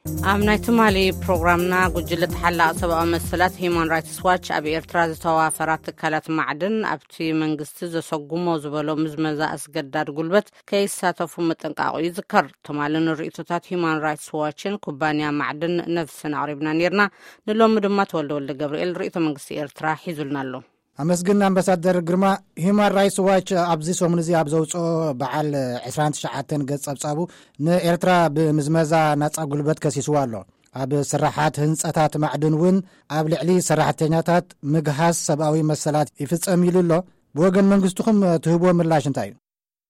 ኣብ ናይ ትማሊ ፕሮግራምና፣ ጉጅለ ተሓላቒ ሰብኣዊ መሰላት ሂዩማን ራይትስ ዋች ኣብ ኤርትራ ዝተዋፈራ ትካላት ማዕድን ኣብቲ መንግስቲ ዘሰጉሞ ዝበሎ ምዝመዛ ኣስገዳድ ጉልበት ከይሳተፉ ምጥንቃቑ ይዝከር። ትማሊ ንርእይቶታት ሂዩማን ራይትስ ዋችን ኩባንያ ማዕድን ነፍስን ኣቕሪብና ነይርና። ንሎሚ ድማ ተወልደ ወልደ ገብርኤል ርእይቶ መንግስቲ ኤርትራ ሒዙልና ኣሎ። ኣመስግን ኣምባሳደር ግርማ። ሂዩማን ራይትስ ዋች ኣብዚ ሰሙን እዚ ኣብ ዘውፅኦ በዓል ዕስራን ትሽዓተን ገጽ ጸብጻቡ፣ ንኤርትራ ብምዝመዛ ናጻ ጉልበት ከሲስዋ ኣሎ። ኣብ ስራሓት ህንጸታት ማዕድን እውን ኣብ ልዕሊ ሰራሕተኛታት ምግሃስ ሰብኣዊ መሰላት ይፍጸም ኢሉ ኣሎ። ብወገን መንግስትኹም ትህብዎ ምላሽ እንታይ እዩ?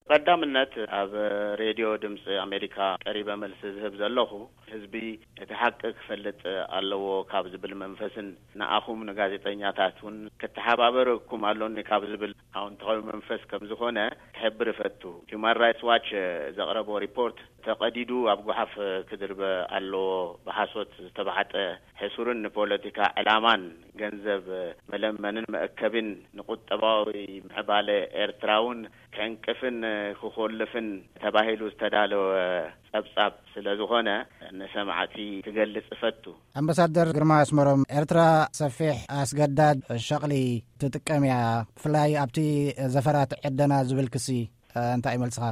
ቀዳምነት፣ ኣብ ሬድዮ ድምፂ ኣሜሪካ ቀሪበ መልሲ ዝህብ ዘለኹ፣ ህዝቢ እቲ ሓቂ ክፈልጥ ኣለዎ ካብ ዝብል መንፈስን ንኣኹም ንጋዜጠኛታት እውን ክተሓባበረኩም ኣሎኒ ካብ ዝብል ኣውንታዊ መንፈስ ከም ዝኾነ ክሕብር እፈቱ። ሂዩማን ራይትስ ዋች ዘቕረቦ ሪፖርት ተቐዲዱ ኣብ ጓሓፍ ክድርበ ኣለዎ። ብሓሶት ዝተባዕጠ፣ ሕሱርን ንፖለቲካ ዕላማን ገንዘብ መለመንን መእከብን ንቁጠባዊ ምዕባለ ኤርትራ እውን ከዕንቅፍን ክኾልፍን ተባሂሉ ዝተዳለወ ጸብጻብ ስለ ዝኾነ፣ ንሰማዕቲ ክገልጽ እፈቱ። ኣምባሳደር ግርማ ኣስመሮም፣ ኤርትራ ሰፊሕ ኣስገዳድ ሸቕሊ ትጥቀም እያ፣ ብፍላይ ኣብቲ ዘፈራት ዕደና ዝብል ክሲ፣ እ፣ እንታይ እዩ መልስኻ?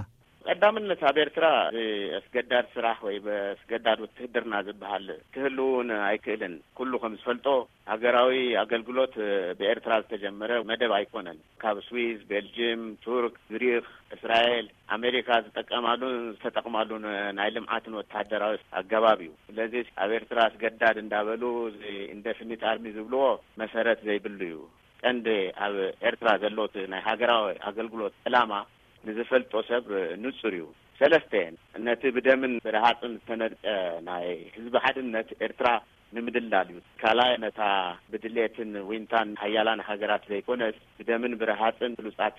ቀዳምነት፣ ኣብ ኤርትራ ብኣስገዳድ ስራሕ ወይ ብኣስገዳድ ውትህድርና ዝበሃል ክህሉ እውን ኣይክእልን። ኩሉ ከም ዝፈልጦ፣ ሃገራዊ ኣገልግሎት ብኤርትራ ዝተጀመረ መደብ ኣይኮነን። ካብ ስዊዝ፣ ቤልጅም፣ ቱርክ፣ ግሪክ፣ እስራኤል፣ ኣሜሪካ ዝጥቀማሉን ዝተጠቕማሉን ናይ ልምዓትን ወተሃደራዊ ኣገባብ እዩ። ስለዚ ኣብ ኤርትራ ኣስገዳድ እንዳበሉ እዚ ኢንደፊኒት ኣርሚ ዝብልዎ መሰረት ዘይብሉ እዩ። ቀንዲ ኣብ ኤርትራ ዘሎ እቲ ናይ ሃገራዊ ኣገልግሎት ዕላማ ንዝፈልጦ ሰብ ንጹር እዩ። ሰለስተ፣ ነቲ ብደምን ብረሃጽን ዝተነድቀ ናይ ህዝቢ ሓድነት ኤርትራ ንምድላል እዩ። ካልኣይ፣ ነታ ብድሌትን ዊንታን ሓያላን ሃገራት ዘይኮነስ፣ ብደምን ብረሃጽን ብሉጻት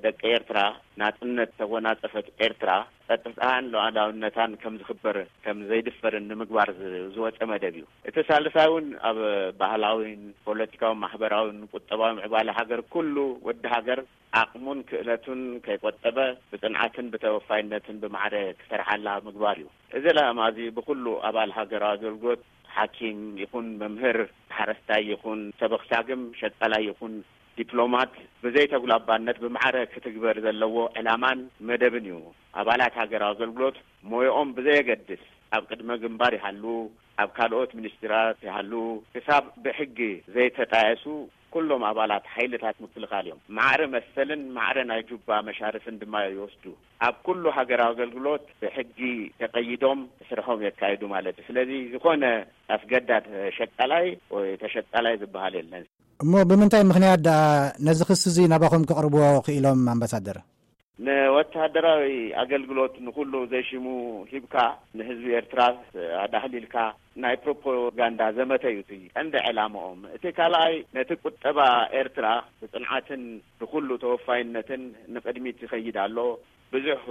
ደቂ ኤርትራ ናጽነት ተጎናጸፈት ኤርትራ፣ ጸጥታን ሉዓላውነታን ከም ዝኽበር፣ ከም ዘይድፈርን ንምግባር ዝ-፣ ዝወጸ መደብ እዩ። እቲ ሳልሳይ እውን ኣብ ባህላዊን ፖለቲካውን ማሕበራውን ቁጠባዊ ምዕባለ ሃገር፣ ኩሉ ወዲ ሃገር ዓቕሙን ክእለቱን ከይቆጠበ፣ ብጽንዓትን ብተወፋይነትን ብማዕረ ክሰርሓላ ምግባር እዩ። እዚ ዕላማ እዚ ብኹሉ ኣባል ሃገራዊ ኣገልግሎት፣ ሓኪም ይኹን መምህር፣ ሓረስታይ ይኹን ሰበኽ ሳግም፣ ሸቃላይ ይኹን ዲፕሎማት፣ ብዘይተጉላባነት ብማዕረ ክትግበር ዘለዎ ዕላማን መደብን እዩ። ኣባላት ሃገራዊ ኣገልግሎት ሞያኦም ብዘየገድስ፣ ኣብ ቅድመ ግንባር ይሃሉ፣ ኣብ ካልኦት ሚኒስትራት ይሃሉ፣ ክሳብ ብሕጊ ዘይተጣየሱ፣ ኩሎም ኣባላት ሓይልታት ምክልኻል እዮም። ማዕረ መሰልን ማዕረ ናይ ጁባ መሻርፍን ድማ ይወስዱ። ኣብ ኩሉ ሃገራዊ ኣገልግሎት ብሕጊ ተቐይዶም ስርሖም የካይዱ ማለት እዩ። ስለዚ ዝኾነ ኣስገዳድ ሸቃላይ ወይ ተሸቃላይ ዝበሃል የለን። እሞ ብምንታይ ምኽንያት ደኣ ነዚ ክሲ እዚ ናባኹም ከቕርብዎ ክኢሎም ኣምባሳደር? ንወተሃደራዊ ኣገልግሎት ንኹሉ ዘይሽሙ ሂብካ፣ ንህዝቢ ኤርትራ ኣዳህሊልካ ናይ ፕሮፓጋንዳ ዘመተ እዩ እቲ ቀንዲ ዕላምኦም። እቲ ካልኣይ፣ ነቲ ቁጠባ ኤርትራ ብጽንዓትን ብኹሉ ተወፋይነትን ንቕድሚት ይኸይድ ኣሎ። ብዙሕ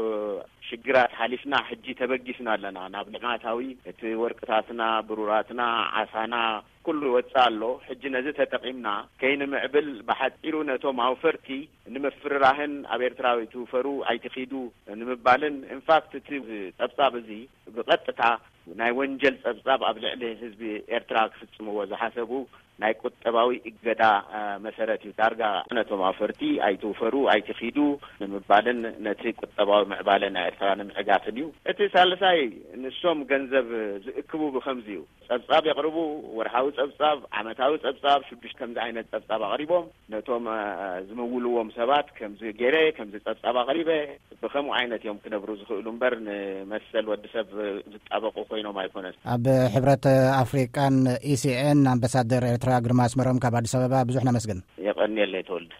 ሽግራት ሓሊፍና ሕጂ ተበጊስና ኣለና። ናብ ልማታዊ፣ እቲ ወርቅታትና፣ ብሩራትና፣ ዓሳና፣ ኩሉ ይወጽእ ኣሎ። ሕጂ ነዚ ተጠቒምና ከይንምዕብል፣ ብሓጺሩ ነቶም ኣውፈርቲ ንምፍርራህን ኣብ ኤርትራ ኣይትውፈሩ፣ ኣይትኺዱ ንምባልን፣ ኢንፋክት እቲ ጸብጻብ እዚ ብቐጥታ ናይ ወንጀል ጸብጻብ ኣብ ልዕሊ ህዝቢ ኤርትራ ክፍጽምዎ ዝሓሰቡ ናይ ቁጠባዊ እገዳ፣ እ፣ መሰረት እዩ። ዳርጋ ነቶም ኣውፈርቲ ኣይትውፈሩ፣ ኣይትኺዱ ንምባልን ነቲ ቁጠባዊ ምዕባለ ናይ ኤርትራ ንምዕጋትን እዩ። እቲ ሳልሳይ፣ ንሶም ገንዘብ ዝእክቡ ብኸምዚ እዩ። ጸብጻብ የቕርቡ፣ ወርሓዊ ጸብጻብ፣ ዓመታዊ ጸብጻብ፣ ሽዱሽተ ከምዚ ዓይነት ጸብጻብ ኣቕሪቦም፣ ነቶም፣ እ፣ ዝምውልዎም ሰባት ከምዚ ገይረ፣ ከምዚ ጸብጻብ ኣቕሪበ፣ ብኸምኡ ዓይነት እዮም ክነብሩ ዝኽእሉ እምበር፣ ንመሰል ወዲ ሰብ ዝጣበቑ ኮይኖም ኣይኮነን። ኣብ ሕብረት ኣፍሪቃን ኢሲኤን ኣምባሳደር ኤርትራ ግርማ ኣስመሮም ካብ ኣዲስ ኣበባ፣ ብዙሕ ነመስግን። የቐንየለይ ተወልደ።